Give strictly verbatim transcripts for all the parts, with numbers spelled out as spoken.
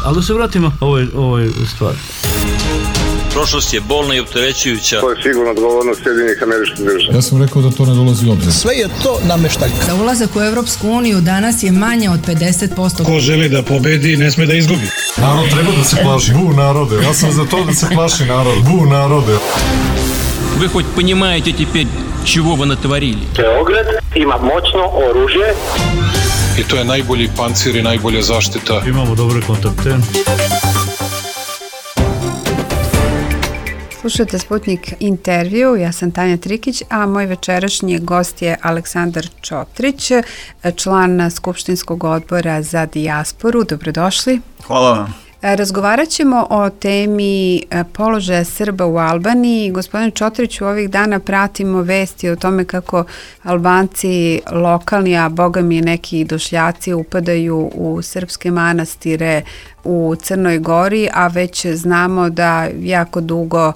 Ali da se vratimo ovoj, ovoj stvari. Prošlost je bolna i opterećujuća. To je sigurno odgovornost Sjedinjenih Američkih Država. Ja sam rekao da to ne dolazi u obzir. Sve je to nameštaljka. Da ulazak u Evropsku uniju danas je manje od pedeset posto. Ko želi da pobedi, ne sme da izgubi. Narod treba da se plaši. Bu narode. Ja sam za to da se plaši narod. Bu narode. Вы хоть понимаете теперь, чего вы натворили? Beograd ima moćno oružje. I to je najbolji pancir i najbolja zaštita. Imamo dobre kontakte. Slušajte Sputnik intervju, ja sam Tanja Trikić, a moj večerašnji gost je Aleksandar Čotrić, član Skupštinskog odbora za dijasporu. Dobrodošli. Hvala vam. Razgovarat ćemo o temi položaja Srba u Albaniji. Gospodin Čotrić, u ovih dana pratimo vesti o tome kako Albanci lokalni, a boga mi neki došljaci upadaju u srpske manastire u Crnoj Gori, a već znamo da jako dugo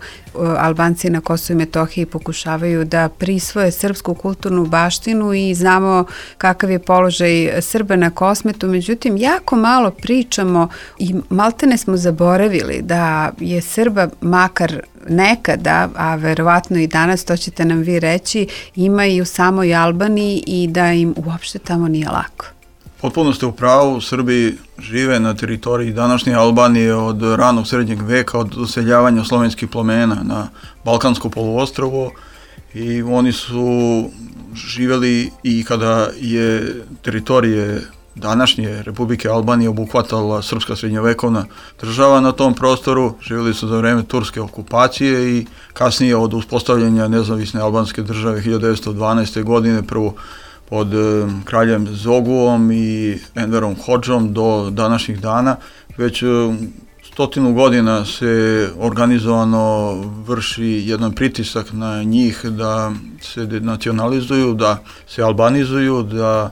Albanci na Kosovu i Metohiji pokušavaju da prisvoje srpsku kulturnu baštinu i znamo kakav je položaj Srba na Kosmetu. Međutim, jako malo pričamo i maltene smo zaboravili da je Srba makar nekada, a verovatno i danas, to ćete nam vi reći, ima i u samoj Albaniji i da im uopšte tamo nije lako. Potpuno ste u pravu, Srbi žive na teritoriji današnje Albanije od ranog srednjeg veka, od useljavanja slovenskih plemena na Balkansko poluostrvo i oni su živjeli i kada je teritorije današnje Republike Albanije obuhvatala srpska srednjovekovna država na tom prostoru, živjeli su za vreme turske okupacije i kasnije od uspostavljanja nezavisne albanske države hiljadu devetsto dvanaeste. godine, prvo pod kraljem Zoguom i Enverom Hodžom do današnjih dana. Već stotinu godina se organizovano vrši jedan pritisak na njih da se denacionalizuju, da se albanizuju, da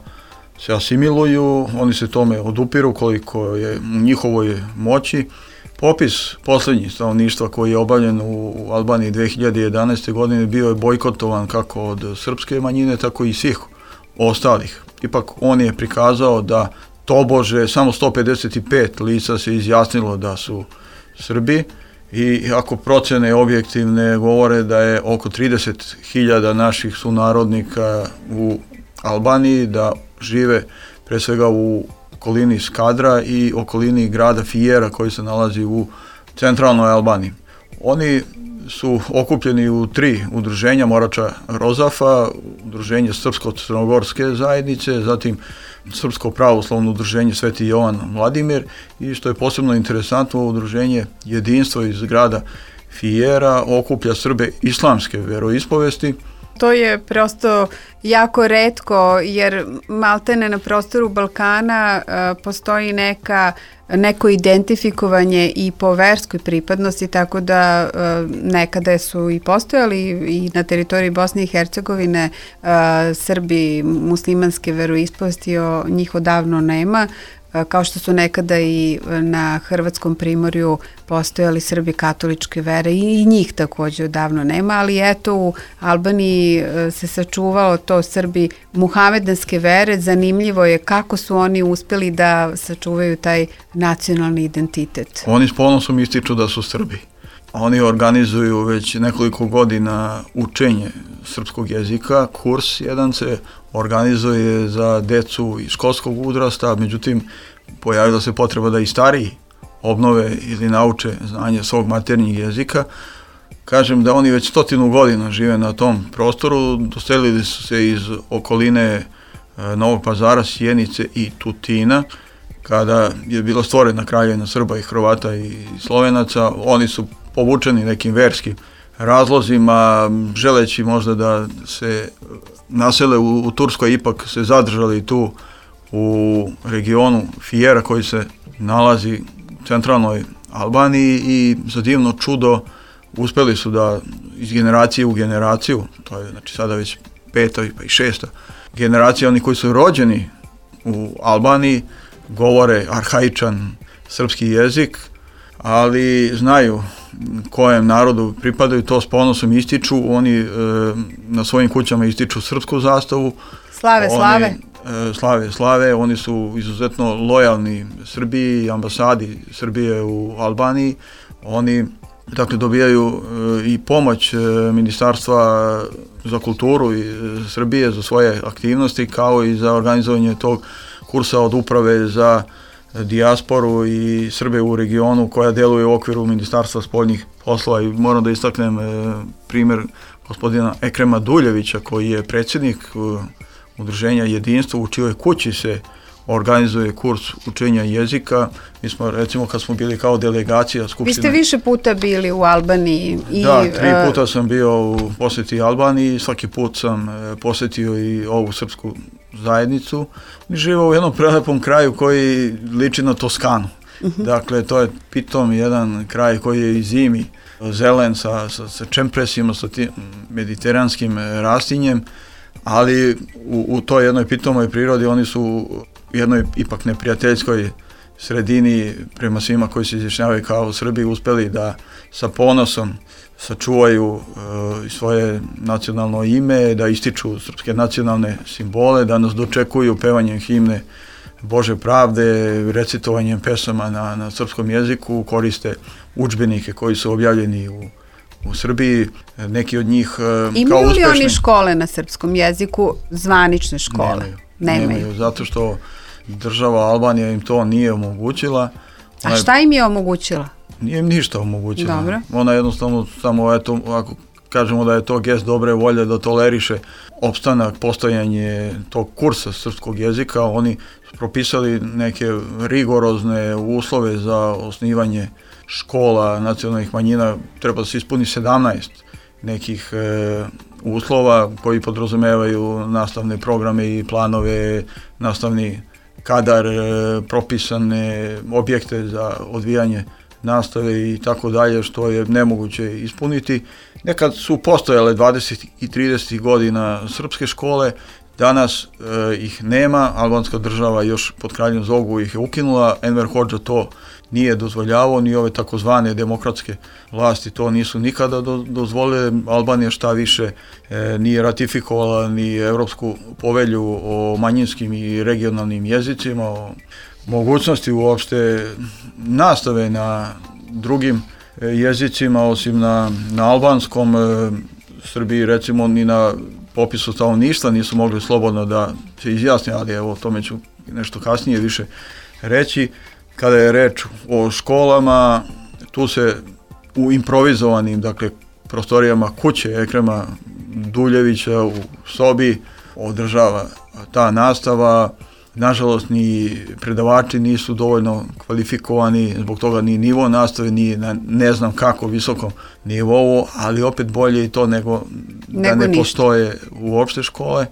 se asimiluju. Oni se tome odupiru koliko je u njihovoj moći. Popis posljednjih stanovništva koji je obavljen u Albaniji dve hiljade jedanaeste. godine bio je bojkotovan kako od srpske manjine, tako i svih ostalih. Ipak on je prikazao da tobože samo sto pedeset pet lica se izjasnilo da su Srbi i ako procene objektivne govore da je oko trideset hiljada naših sunarodnika u Albaniji, da žive pre svega u okolini Skadra i okolini grada Fijera koji se nalazi u centralnoj Albaniji. Oni su okupljeni u tri udruženja, Morača Rozafa, udruženje Srpsko-crnogorske zajednice, zatim Srpsko pravoslavno udruženje Sveti Jovan Vladimir i što je posebno interesantno, udruženje Jedinstvo iz grada Fijera okuplja Srbe islamske veroispovesti. To je prosto jako retko jer maltene na prostoru Balkana uh, postoji neka, neko identifikovanje i po verskoj pripadnosti, tako da uh, nekada su i postojali i na teritoriji Bosne i Hercegovine uh, Srbi muslimanske veroispovesti, o njih odavno nema, kao što su nekada i na Hrvatskom primorju postojali Srbi katoličke vere i njih također odavno nema, ali eto u Albaniji se sačuvalo to Srbi muhamedanske vere. Zanimljivo je kako su oni uspjeli da sačuvaju taj nacionalni identitet. Oni s ponosom ističu da su Srbi. Oni organizuju već nekoliko godina učenje srpskog jezika, kurs jedan se organizuje za decu iz školskog uzrasta, međutim pojavila se potreba da i stariji obnove ili nauče znanje svog maternjeg jezika. Kažem da oni već stotinu godina žive na tom prostoru, doselili su se iz okoline Novog Pazara, Sjenice i Tutina. Kada je bila stvorena kraljevina Srba i Hrvata i Slovenaca, oni su povučeni nekim verskim razlozima, želeći možda da se nasele u, u Turskoj, ipak se zadržali tu u regionu Fijera koji se nalazi u centralnoj Albaniji i za divno čudo uspeli su da iz generacije u generaciju, to je znači sada već peta pa i šesta generacija, oni koji su rođeni u Albaniji govore arhaičan srpski jezik, ali znaju kojem narodu pripadaju, to s ponosom ističu. Oni e, na svojim kućama ističu srpsku zastavu. Slave, oni, slave. slave slave, oni su izuzetno lojalni Srbiji, ambasadi Srbije u Albaniji. Oni dakle dobijaju i pomoć Ministarstva za kulturu i Srbije za svoje aktivnosti, kao i za organizovanje tog kursa od uprave za dijasporu i Srbe u regionu koja deluje u okviru Ministarstva spoljnih poslova. I moram da istaknem primjer gospodina Ekrema Duljevića, koji je predsjednik udruženja Jedinstvo, u čijoj kući se organizuje kurs učenja jezika. Mi smo, recimo, kad smo bili kao delegacija Skupštine... Vi ste više puta bili u Albaniji. I, da, tri puta sam bio u posjeti Albaniji, svaki put sam posjetio i ovu srpsku zajednicu. Mi živimo u jednom prelepom kraju koji liči na Toskanu. Uh-huh. Dakle, to je pitom jedan kraj koji je i zimi zelen sa, sa, sa čempresima, sa tim mediteranskim rastinjem, ali u, u toj jednoj pitomoj prirodi oni su u jednoj ipak neprijateljskoj sredini prema svima koji se izjašnjavaju kao Srbi uspeli da sa ponosom sačuvaju uh, svoje nacionalno ime, da ističu srpske nacionalne simbole, da nas dočekuju pevanjem himne Bože pravde, recitovanjem pesama na, na srpskom jeziku, koriste udžbenike koji su objavljeni u, u Srbiji, neki od njih uh, Imaju kao uspešni. Imaju li oni škole na srpskom jeziku, zvanične škole? Nemaju. Nemaju. Nemaju, zato što država Albanija im to nije omogućila. A šta im je omogućila? Nije im ništa omogućila. Dobro. Ona jednostavno samo, eto, ako kažemo da je to gest dobre volje da toleriše opstanak, postojanje tog kursa srpskog jezika, oni su propisali neke rigorozne uslove za osnivanje škola nacionalnih manjina. Treba da se ispuni sedamnaest nekih e, uslova koji podrazumevaju nastavne programe i planove, nastavni kadar, e, propisane objekte za odvijanje nastave i tako dalje, što je nemoguće ispuniti. Nekad su postojale dvadeset i trideset godina srpske škole, danas e, ih nema, albanska država još pod kraljem Zogu ih je ukinula, Enver Hodža to nije dozvoljavao, ni ove takozvane demokratske vlasti to nisu nikada do, dozvolile. Albanija šta više e, nije ratifikovala ni Evropsku povelju o manjinskim i regionalnim jezicima, o mogućnosti uopšte nastave na drugim jezicima osim na, na albanskom. E, Srbiji recimo ni na popisu stanovništva nisu mogli slobodno da se izjasne, ali evo o tome ću nešto kasnije više reći. Kada je reč o školama, tu se u improvizovanim, dakle, prostorijama kuće Ekrema Duljevića u sobi održava ta nastava. Nažalost, ni predavači nisu dovoljno kvalifikovani, zbog toga ni nivo nastave nije na ne znam kako visokom nivou, ali opet bolje i to nego, nego da ne ništa. Postoje uopšte škole.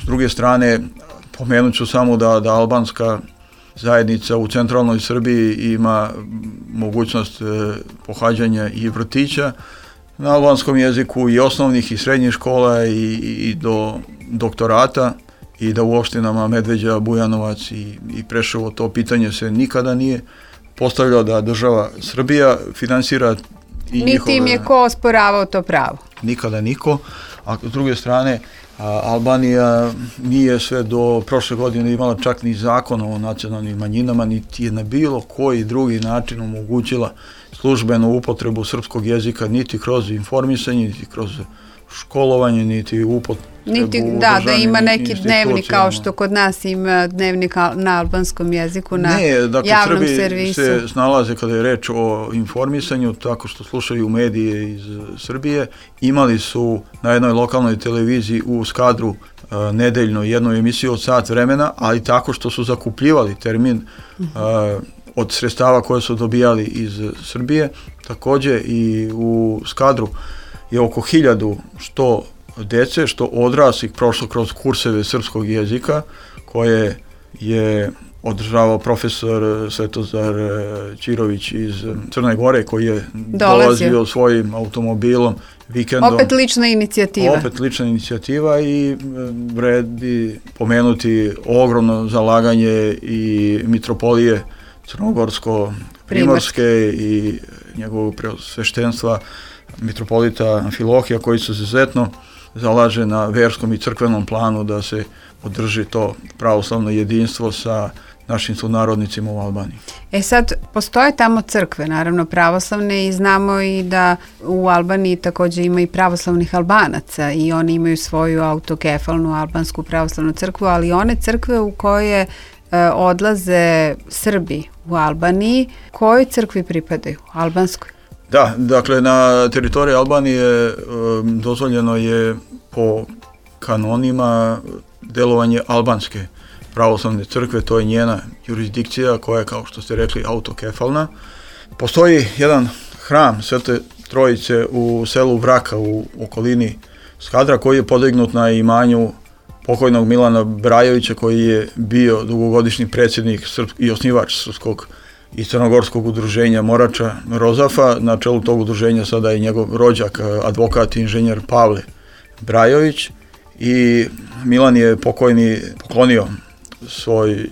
S druge strane, pomenut ću samo da, da albanska zajednica u centralnoj Srbiji ima mogućnost e, pohađanja i vrtića na albanskom jeziku, i osnovnih i srednjih škola, i, i do doktorata, i da u opštinama Medveđa, Bujanovac i, i Preševo to pitanje se nikada nije postavljalo, da država Srbija finansira i niti njihove... im je ko osporavao to pravo. Nikada niko. A s druge strane, a, Albanija nije sve do prošle godine imala čak ni zakon o nacionalnim manjinama, niti je na bilo koji drugi način omogućila službenu upotrebu srpskog jezika, niti kroz informisanje, niti kroz školovanje, niti upotrebu niti, da, da ima neki dnevnik kao što kod nas ima dnevnik na albanskom jeziku na ne, dakle, javnom Srbi servisu. Se snalaze kada je reč o informisanju tako što slušaju medije iz Srbije. Imali su na jednoj lokalnoj televiziji u Skadru uh, nedeljno jednu emisiju od sat vremena, ali tako što su zakupljivali termin uh, od sredstava koje su dobijali iz Srbije. Takođe i u Skadru je oko hiljadu što dece, što odraslih prošlo kroz kurseve srpskog jezika koje je održavao profesor Svetozar Ćirović iz Crne Gore, koji je dolazio, dolazio svojim automobilom vikendom. Opet lična inicijativa. Opet lična inicijativa i vredi pomenuti ogromno zalaganje i mitropolije Crnogorsko-Primorske i njegovog preosveštenstva mitropolita Amfilohija, koji su izuzetno zalaže na verskom i crkvenom planu da se održi to pravoslavno jedinstvo sa našim sunarodnicima u Albaniji. E sad, postoje tamo crkve, naravno pravoslavne, i znamo i da u Albaniji također ima i pravoslavnih Albanaca i oni imaju svoju autokefalnu albansku pravoslavnu crkvu, ali one crkve u koje e, odlaze Srbi u Albaniji, kojoj crkvi pripadaju? Albanskoj? Da, dakle na teritoriji Albanije e, dozvoljeno je po kanonima delovanje albanske pravoslavne crkve, to je njena jurisdikcija koja je, kao što ste rekli, autokefalna. Postoji jedan hram Svete Trojice u selu Vraka u okolini Skadra koji je podignut na imanju pokojnog Milana Brajovića koji je bio dugogodišnji predsjednik i osnivač srpskog i crnogorskog udruženja Morača Rozafa. Na čelu tog udruženja sada je njegov rođak, advokat i inženjer Pavle Brajović, i Milan je pokojni poklonio svoje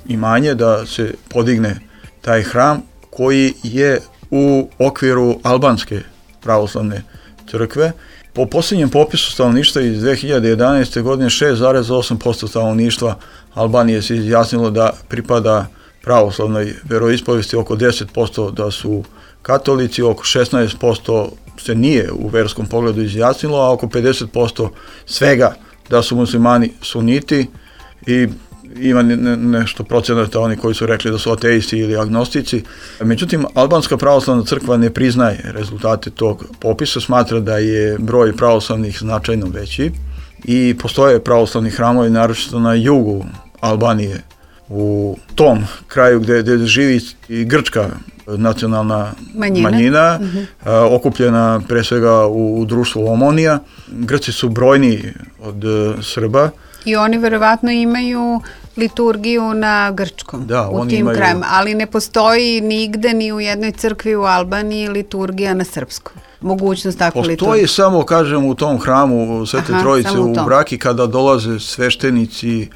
imanje da se podigne taj hram koji je u okviru albanske pravoslavne crkve. Po posljednjem popisu stanovništva iz dve hiljade jedanaeste. godine šest zarez osam posto stanovništva Albanije se izjasnilo da pripada pravoslavnoj veroispovesti, oko deset posto da su katolici, oko šesnaest posto se nije u verskom pogledu izjasnilo, a oko pedeset posto svega da su muslimani suniti, i ima ne, nešto procenata oni koji su rekli da su ateisti ili agnostici. Međutim, albanska pravoslavna crkva ne priznaje rezultate tog popisa, smatra da je broj pravoslavnih značajno veći i postoje pravoslavni hramovi, naročito na jugu Albanije, u tom kraju gdje, gdje živi i grčka nacionalna manjina, manjina uh-huh. a, okupljena pre svega u, u društvu Omonija. Grci su brojniji od uh, Srba. I oni verovatno imaju liturgiju na grčkom, da, u tim imaju... krajima, ali ne postoji nigde ni u jednoj crkvi u Albaniji liturgija na srpskom. Mogućnost takve liturgije. Postoji samo, kažem, u tom hramu Svete Aha, Trojice u, u Vraki kada dolaze sveštenici e,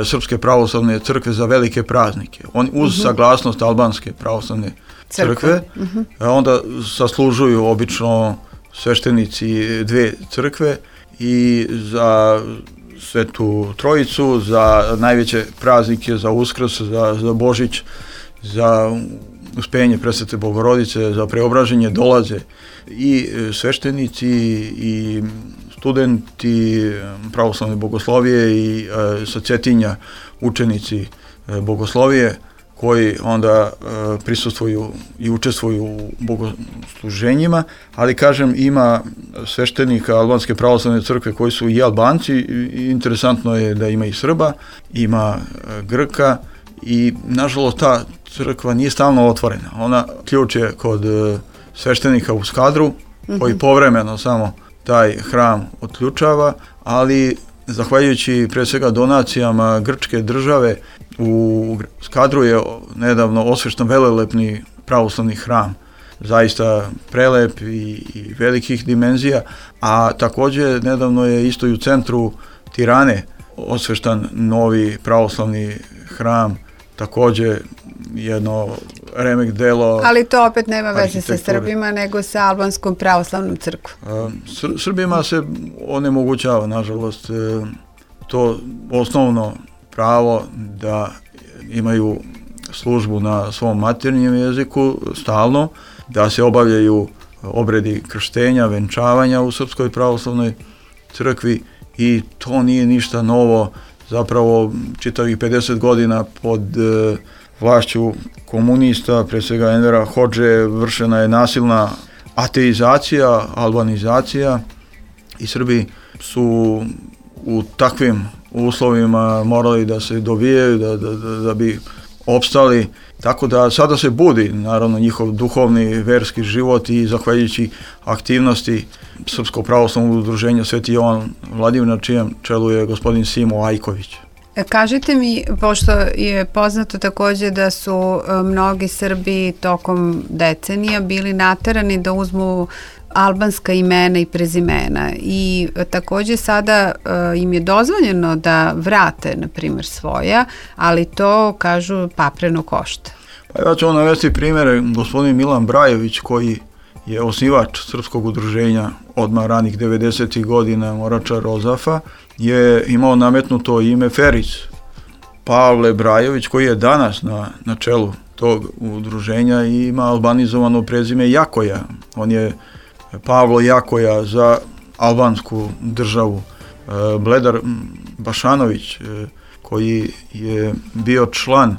Srpske pravoslavne crkve za velike praznike. Oni uz uh-huh. saglasnost albanske pravoslavne crkve, crkve uh-huh. onda saslužuju obično sveštenici dve crkve i za Svetu Trojicu, za najveće praznike, za Uskrs, za, za Božić, za uspenje Presvete Bogorodice, za preobraženje dolaze i sveštenici i studenti pravoslavne bogoslovije i e, sa Cetinja učenici e, bogoslovije koji onda e, prisustvuju i učestvuju u bogosluženjima, ali kažem ima sveštenika albanske pravoslavne crkve koji su i Albanci, i interesantno je da ima i Srba, ima e, Grka, i nažalost ta crkva nije stalno otvorena. Ona ključ je kod e, sveštenika u Skadru, mm-hmm. koji povremeno samo taj hram otključava, ali zahvaljujući pre svega donacijama grčke države u Skadru je nedavno osvešten velelepni pravoslavni hram, zaista prelep i, i velikih dimenzija, a također nedavno je isto i u centru Tirane osveštan novi pravoslavni hram, također jedno remek delo. Ali to opet nema veze sa Srbima, nego sa albanskom pravoslavnom crkvom. Sr- Srbima se onemogućava, nažalost, to osnovno pravo da imaju službu na svom materinjem jeziku stalno, da se obavljaju obredi krštenja, venčavanja u Srpskoj pravoslavnoj crkvi, i to nije ništa novo. Zapravo čitavih pedeset godina pod e, vlašću komunista, pre svega Envera Hodže, vršena je nasilna ateizacija, albanizacija, i Srbi su u takvim uslovima morali da se dovijaju da, da, da, da bi opstali, tako da sada se budi naravno njihov duhovni verski život, i zahvaljujući aktivnosti Srpskog pravoslavnog udruženja Sveti Jovan Vladimir, na čijem čelu je gospodin Simo Ajković. Kažite mi, pošto je poznato također da su mnogi Srbi tokom decenija bili naterani da uzmu albanska imena i prezimena, i također sada uh, im je dozvoljeno da vrate, na primjer, svoja, ali to, kažu, papreno košta. Pa ja ću vam navesti primjere. Gospodin Milan Brajović, koji je osnivač srpskog udruženja odmah ranih devedesetih godina, Morača Rozafa, je imao nametnuto ime Feric. Pavle Brajović, koji je danas na, na čelu tog udruženja, ima albanizovano prezime Jakoja. On je Pavlo Jakoja za albansku državu. Bledar Bašanović, koji je bio član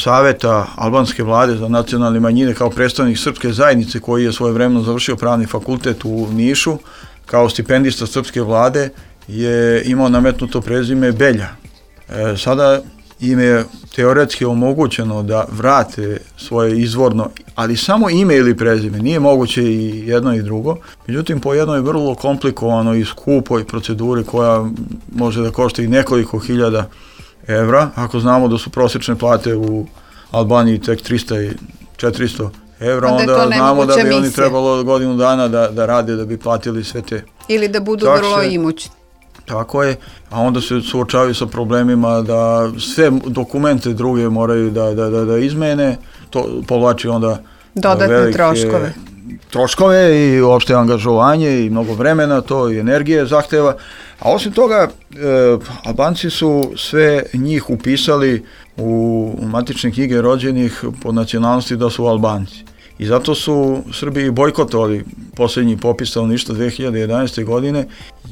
Saveta albanske vlade za nacionalne manjine kao predstavnik srpske zajednice, koji je svojevremeno završio pravni fakultet u Nišu, kao stipendista srpske vlade, je imao nametnuto prezime Belja. E, sada im je teoretski omogućeno da vrate svoje izvorno, ali samo ime ili prezime, nije moguće i jedno i drugo, međutim po jednoj vrlo komplikovanoj i skupoj proceduri koja može da košta i nekoliko hiljada evra, ako znamo da su prosječne plate u Albaniji tek trista i četiristo evra, onda, onda znamo da bi misija. Oni trebalo godinu dana da, da rade da bi platili sve te. Ili da budu takse. Vrlo imućni. Tako je, a onda se suočavaju sa problemima da sve dokumente druge moraju da, da, da, da izmene, to povlači onda dodatne velike troškove. troškove i uopšte angažovanje i mnogo vremena, to i energije zahteva. A osim toga, e, Albanci su sve njih upisali u matične knjige rođenih po nacionalnosti da su Albanci. I zato su Srbi bojkotovali posljednji popis stanovništva dve hiljade jedanaeste. godine,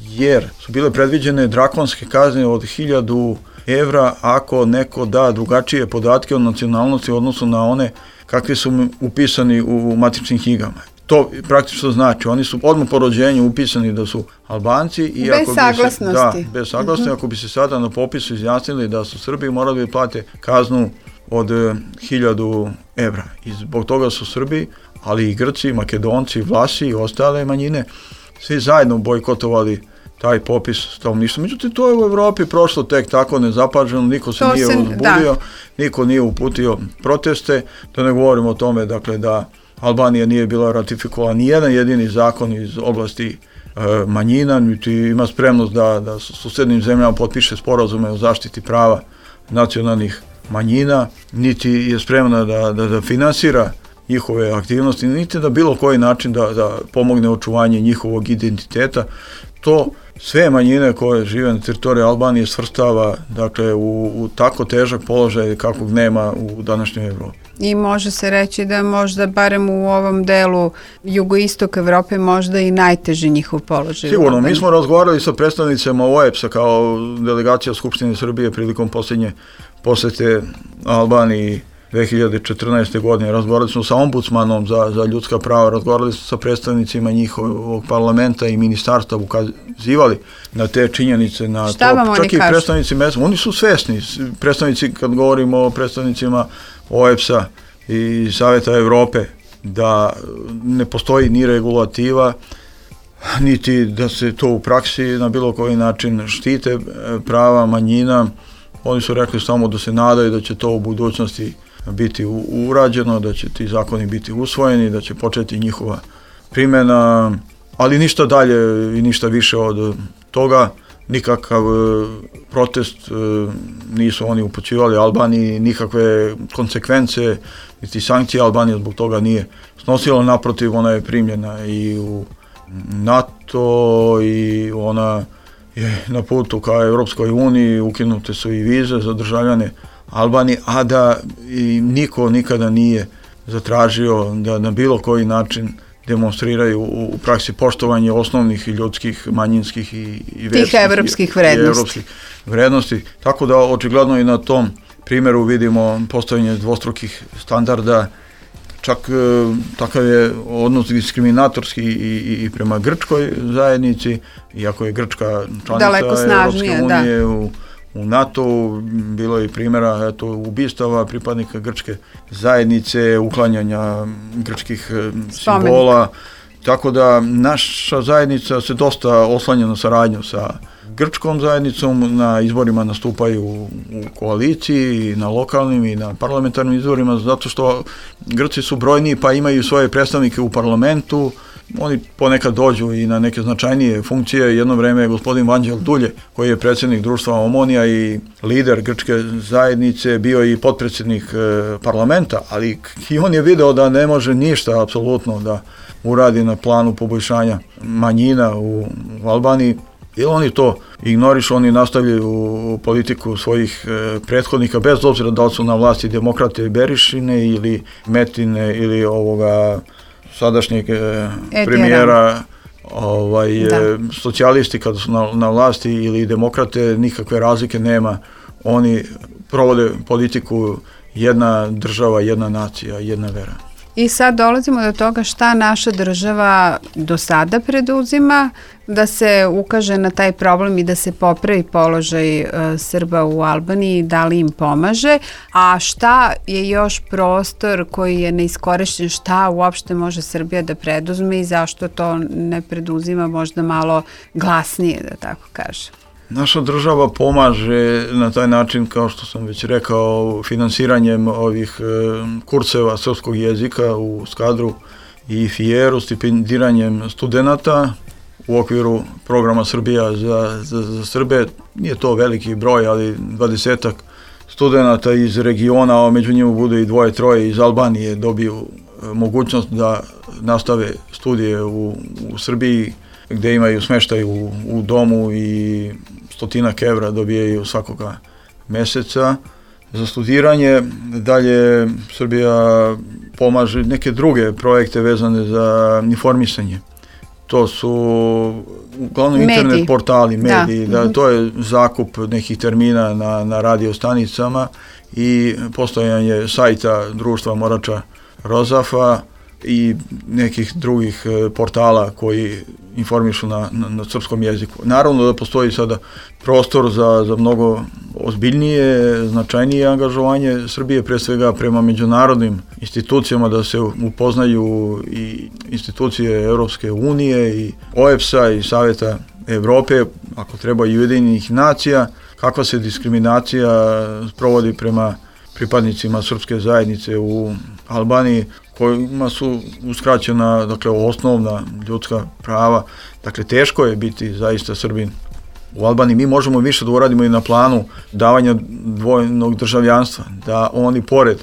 jer su bile predviđene drakonske kazne od hiljadu evra ako neko da drugačije podatke o nacionalnosti u odnosu na one kakvi su upisani u matičnim knjigama. To praktično znači, oni su odmah po rođenju upisani da su Albanci. I bez ako saglasnosti. Bi se, da, bez saglasnosti. Uh-huh. Ako bi se sada na popisu izjasnili da su Srbi, morali bi plate kaznu od hiljadu evra. I zbog toga su Srbi, ali i Grci, Makedonci, Vlasi i ostale manjine, svi zajedno bojkotovali taj popis stanovništva. Međutim, to je u Evropi prošlo tek tako nezapaženo, niko se to nije se, uzbudio, da. niko nije uputio proteste, da ne govorimo o tome, dakle, da Albanija nije bila ratifikovala ni jedan jedini zakon iz oblasti e, manjina, niti ima spremnost da, da s susednim zemljama potpiše sporazume o zaštiti prava nacionalnih manjina, niti je spremna da, da, da finansira njihove aktivnosti, niti da bilo koji način da, da pomogne očuvanje njihovog identiteta. To sve manjine koje žive na teritoriji Albanije svrstava, dakle, u, u tako težak položaj kakvog nema u današnjoj Evropi. I može se reći da možda barem u ovom delu jugoistok Evrope možda i najteži njihov položaj. Sigurno, mi smo razgovarali sa predstavnicama O E B S-a kao delegacija Skupštine Srbije prilikom posljednje posete Albaniji dve hiljade četrnaeste. godine. Razgovarali smo sa ombudsmanom za, za ljudska prava, razgovarali smo sa predstavnicima njihovog parlamenta i ministarstva, ukazivali na te činjenice, na šta to. Čak i predstavnici mesta, oni su svesni, predstavnici, kad govorimo o predstavnicima O E B S-a i Saveta Evrope, da ne postoji ni regulativa, niti da se to u praksi na bilo koji način štite prava manjina. Oni su rekli samo da se nadaju da će to u budućnosti biti urađeno, da će ti zakoni biti usvojeni, da će početi njihova primjena, ali ništa dalje i ništa više od toga. Nikakav protest nisu oni upućivali Albaniji, nikakve konsekvence niti sankcije Albanija zbog toga nije snosila, naprotiv, ona je primljena i u NATO i ona je na putu ka Evropskoj uniji, ukinute su i vize za državljane Albanije, a da i niko nikada nije zatražio da na bilo koji način demonstriraju u praksi poštovanje osnovnih i ljudskih, manjinskih i, i verskih, tih evropskih vrednosti. I evropskih vrednosti. Tako da očigledno i na tom primjeru vidimo postavljanje dvostrukih standarda. Čak e, takav je odnos diskriminatorski i, i, i prema grčkoj zajednici, iako je Grčka članica Evropske unije, da. u, u NATO bilo je i primjera eto, ubistava pripadnika grčke zajednice, uklanjanja grčkih Spomenik. simbola, tako da naša zajednica se dosta oslanja na saradnju sa grčkom zajednicom, na izborima nastupaju u koaliciji, na lokalnim i na parlamentarnim izborima, zato što Grci su brojniji pa imaju svoje predstavnike u parlamentu oni ponekad dođu i na neke značajnije funkcije. Jedno vreme je gospodin Vanđel Dulje, koji je predsjednik društva Omonija i lider grčke zajednice, bio i potpredsjednik e, parlamenta, ali i on je video da ne može ništa apsolutno da uradi na planu poboljšanja manjina u, u Albaniji. Jer oni to ignorišu, oni nastavljaju politiku svojih e, prethodnika, bez obzira da li su na vlasti demokrate Berišine ili Metine ili ovoga sadašnjeg e, premijera, ovaj, e, socijalisti kada su na, na vlasti ili demokrate, nikakve razlike nema. Oni provode politiku jedna država, jedna nacija, jedna vera. I sad dolazimo do toga šta naša država do sada preduzima da se ukaže na taj problem i da se popravi položaj uh, Srba u Albaniji, da li im pomaže, a šta je još prostor koji je neiskorišćen, šta uopšte može Srbija da preduzme i zašto to ne preduzima možda malo glasnije, da tako kažem. Naša država pomaže na taj način, kao što sam već rekao, finansiranjem ovih e, kurseva srpskog jezika u Skadru i Fijeru, stipendiranjem studenata u okviru programa Srbija za, za, za Srbe. Nije to veliki broj, ali dvadesetak studenata iz regiona, a među njima bude i dvoje, troje iz Albanije, dobiju e, mogućnost da nastave studije u, u Srbiji, gde imaju smeštaj u, u domu i stotinak evra dobijaju svakoga meseca za studiranje. Dalje Srbija pomaže neke druge projekte vezane za informisanje. To su uglavnom mediji. Internet portali, mediji, da. Da, to je zakup nekih termina na, na radio stanicama i postojanje sajta društva Morača Rozafa i nekih drugih portala koji informišu na, na, na srpskom jeziku. Naravno da postoji sada prostor za, za mnogo ozbiljnije, značajnije angažovanje Srbije, pre svega prema međunarodnim institucijama, da se upoznaju i institucije Europske unije i O E B S A i Saveta Evrope, ako treba i Ujedinjenih nacija, kakva se diskriminacija sprovodi prema pripadnicima srpske zajednice u Albaniji, kojima su uskraćena, dakle, osnovna ljudska prava. Dakle, teško je biti zaista Srbin u Albaniji. Mi možemo više da uradimo i na planu davanja dvojnog državljanstva, da oni pored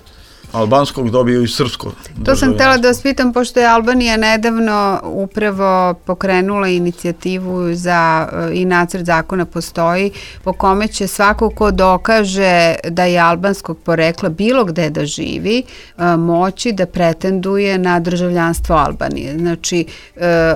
albanskog dobiju i srpsko državljanstvo. To sam htjela da vas pitam, pošto je Albanija nedavno upravo pokrenula inicijativu za, i nacrt zakona postoji, po kome će svako ko dokaže da je albanskog porekla bilo gde da živi, moći da pretenduje na državljanstvo Albanije. Znači,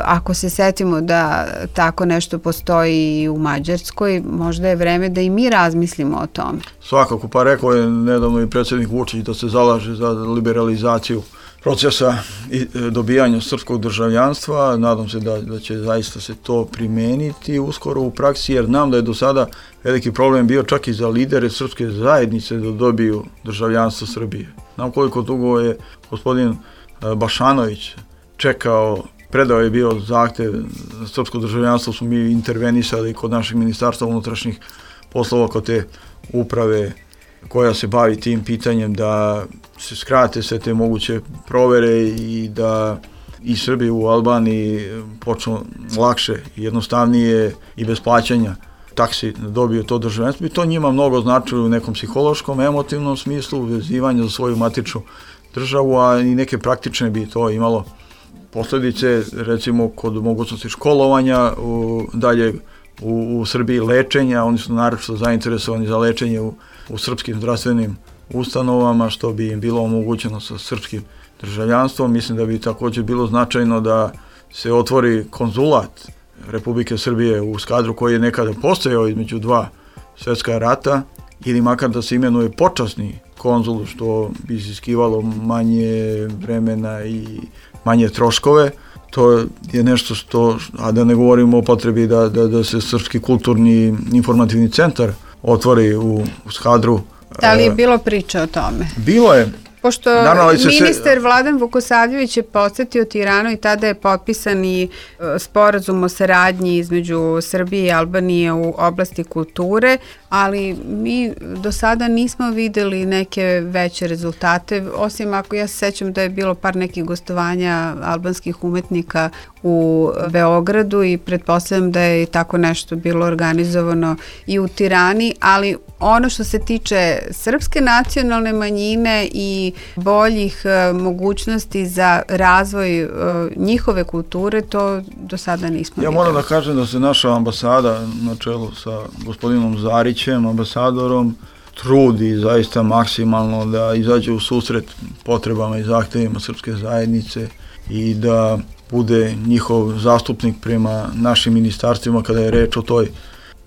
ako se setimo da tako nešto postoji i u Mađarskoj, možda je vreme da i mi razmislimo o tome. Svakako, pa rekao je nedavno i predsjednik Vučić da se zalaže za liberalizaciju procesa i dobijanja srpskog državljanstva. Nadam se da, da će zaista se to primeniti uskoro u praksi, jer znam da je do sada veliki problem bio čak i za lidere srpske zajednice da dobiju državljanstvo Srbije. Znam koliko dugo je gospodin Bašanović čekao, predao je bio zahtev za srpsko državljanstvo, smo mi intervenisali kod našeg ministarstva unutrašnjih poslova, kod te uprave koja se bavi tim pitanjem da se skrate sve te moguće provere i da i Srbi u Albaniji počnu lakše, jednostavnije i bez plaćanja taksi dobiju to državljanstvo. I to njima mnogo znači u nekom psihološkom, emotivnom smislu, vezivanja za svoju matičnu državu, a i neke praktične bi to imalo posljedice, recimo kod mogućnosti školovanja, u, dalje u, u Srbiji lečenja. Oni su naročito zainteresovani za lečenje u, u srpskim zdravstvenim ustanovama, što bi im bilo omogućeno sa srpskim državljanstvom. Mislim da bi također bilo značajno da se otvori konzulat Republike Srbije u Skadru, koji je nekada postojao između dva svjetska rata, ili makar da se imenuje počasni konzul, što bi iziskivalo manje vremena i manje troškove. To je nešto što, a da ne govorimo o potrebi da, da, da se Srpski kulturni informativni centar otvori u, u Skadru. Da li je bilo priče o tome? Bilo je. Pošto naravno, ministar se... Vladan Vukosavljević je posjetio Tiranu i tada je potpisan i sporazum o saradnji između Srbije i Albanije u oblasti kulture. ali mi do sada nismo videli neke veće rezultate, osim ako ja se sećam da je bilo par nekih gostovanja albanskih umetnika u Beogradu i pretpostavljam da je tako nešto bilo organizovano i u Tirani, ali ono što se tiče srpske nacionalne manjine i boljih uh, mogućnosti za razvoj uh, njihove kulture, to do sada nismo Ja videli. moram da kažem da se naša ambasada na čelu sa gospodinom Zarićem, ambasadorom, trudi zaista maksimalno da izađe u susret potrebama i zahtevima srpske zajednice i da bude njihov zastupnik prema našim ministarstvima kada je reč o toj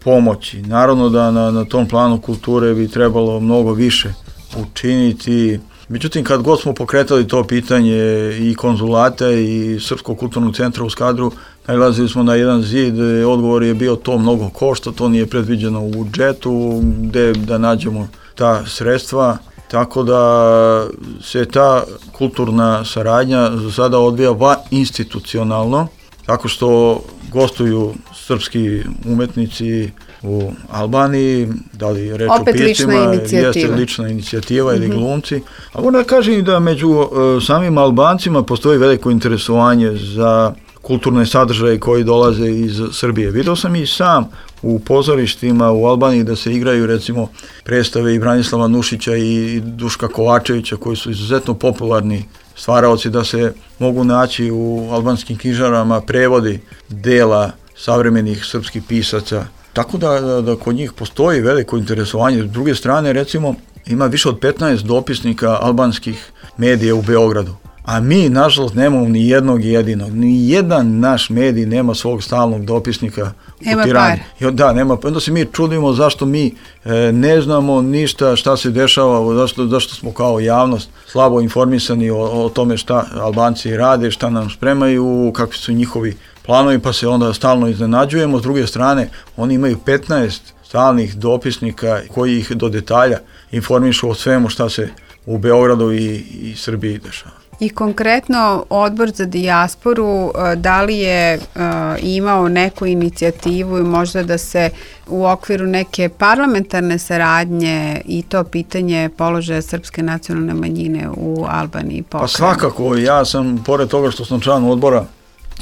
pomoći. Naravno da na, na tom planu kulture bi trebalo mnogo više učiniti. Međutim, kad god smo pokretali to pitanje i konzulata i Srpskog kulturnog centra u Skadru, nailazili smo na jedan zid, odgovor je bio to mnogo košta, to nije predviđeno u budžetu, gde da nađemo ta sredstva, tako da se ta kulturna saradnja za sada odvija va institucionalno, tako što gostuju srpski umetnici u Albaniji, da li reč Opet o piscima, lična inicijativa. jeste lična inicijativa ili mm-hmm. glumci. A moram da kažem i da među uh, samim Albancima postoji veliko interesovanje za kulturne sadržaje koji dolaze iz Srbije. Video sam i sam u pozorištima u Albaniji da se igraju recimo predstave i Branislava Nušića i Duška Kovačevića koji su izuzetno popularni stvaraoci, da se mogu naći u albanskim knjižarama prevodi dela savremenih srpskih pisaca. Tako da, da, da kod njih postoji veliko interesovanje. S druge strane, recimo, ima više od petnaest dopisnika albanskih medija u Beogradu. A mi, nažalost, nemamo ni jednog jedinog. Ni jedan naš medij nema svog stalnog dopisnika nema u Tirani. Par. Da, nema. Onda se mi čudimo zašto mi e, ne znamo ništa šta se dešava, zašto, zašto smo kao javnost slabo informisani o, o tome šta Albanci rade, šta nam spremaju, kakvi su njihovi planovi, pa se onda stalno iznenađujemo. S druge strane, oni imaju petnaest stalnih dopisnika koji ih do detalja informišu o svemu šta se u Beogradu i, i Srbiji dešava. I konkretno Odbor za dijasporu, da li je uh, imao neku inicijativu i možda da se u okviru neke parlamentarne saradnje i to pitanje položaja srpske nacionalne manjine u Albaniji pokrene? Pa svakako, ja sam, pored toga što sam član Odbora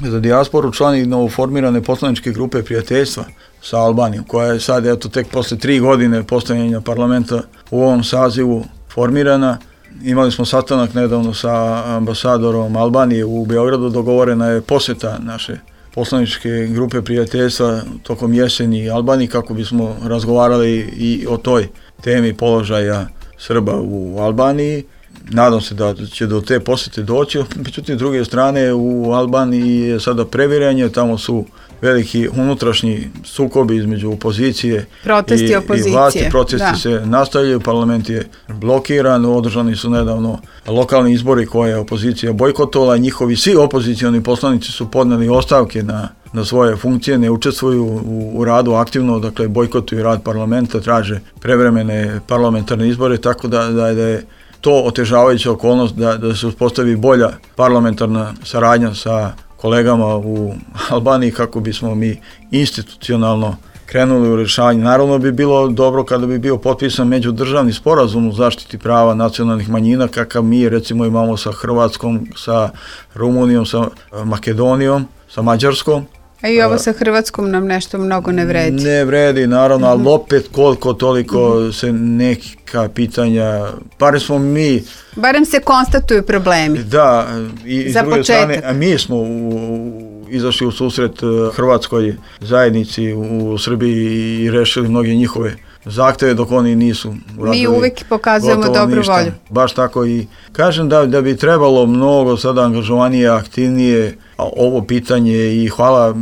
za dijasporu, član i novoformirane poslaničke grupe prijateljstva sa Albanijom, koja je sad, eto, tek posle tri godine postojanja parlamenta u ovom sazivu formirana. Imali smo sastanak nedavno sa ambasadorom Albanije u Beogradu, dogovorena je poseta naše poslaničke grupe prijateljstva tokom jeseni Albaniji kako bismo razgovarali i o toj temi položaja Srba u Albaniji. Nadam se da će do te posete doći, međutim, s druge strane u Albaniji je sada previranje, tamo su veliki unutrašnji sukobi između opozicije protesti i, opozicije. i vlasti. Protesti da. se nastavljaju, parlament je blokiran, održani su nedavno lokalni izbori koje je opozicija bojkotovala, njihovi svi opozicioni poslanici su podneli ostavke na, na svoje funkcije, ne učestvuju u, u radu aktivno, dakle bojkotuju rad parlamenta, traže prevremene parlamentarne izbore, tako da, da, da je to otežavajuća okolnost da, da se uspostavi bolja parlamentarna saradnja sa kolegama u Albaniji kako bismo mi institucionalno krenuli u rješavanje. Naravno bi bilo dobro kada bi bio potpisan međudržavni sporazum u zaštiti prava nacionalnih manjina kakav mi recimo imamo sa Hrvatskom, sa Rumunijom, sa Makedonijom, sa Mađarskom. A i ovo sa Hrvatskom nam nešto mnogo ne vredi. Ne vredi, naravno, ali opet koliko toliko se neka pitanja, barem smo mi... Barem se konstatuju problemi. Da, i za s druge početak. strane, a mi smo u, izašli u susret hrvatskoj zajednici u Srbiji i rešili mnoge njihove zahteve dok oni nisu uradili. Mi uvijek pokazujemo dobru ništa. volju. Baš tako i kažem da, da bi trebalo mnogo sada angažovanije, aktivnije ovo pitanje i hvala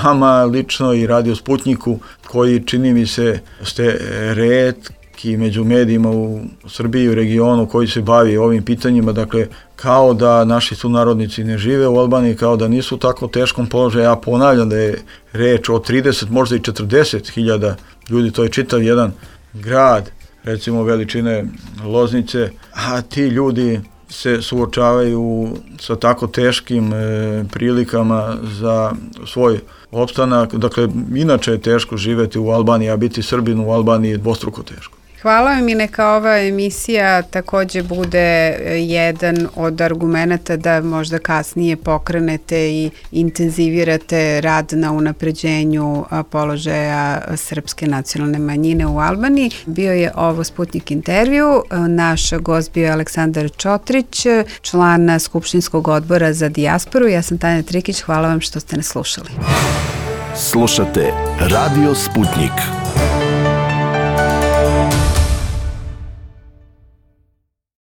vama lično i Radio Sputniku koji čini mi se ste retki među medijima u Srbiji i u regionu koji se bavi ovim pitanjima, dakle kao da naši sunarodnici ne žive u Albaniji, kao da nisu u tako teškom položaju. Ja ponavljam da je reč o trideset, možda i četrdeset hiljada ljudi, to je čitav jedan grad, recimo veličine Loznice, a ti ljudi se suočavaju sa tako teškim e, prilikama za svoj opstanak. Dakle, inače je teško živjeti u Albaniji, a biti Srbin u Albaniji je dvostruko teško. Hvala vam i neka ova emisija također bude jedan od argumenata da možda kasnije pokrenete i intenzivirate rad na unapređenju položaja srpske nacionalne manjine u Albaniji. Bio je ovo Sputnik intervju. Naš gost bio je Aleksandar Čotrić, član Skupštinskog odbora za dijasporu. Ja sam Tanja Trikić. Hvala vam što ste nas slušali. Slušate Radio Sputnik.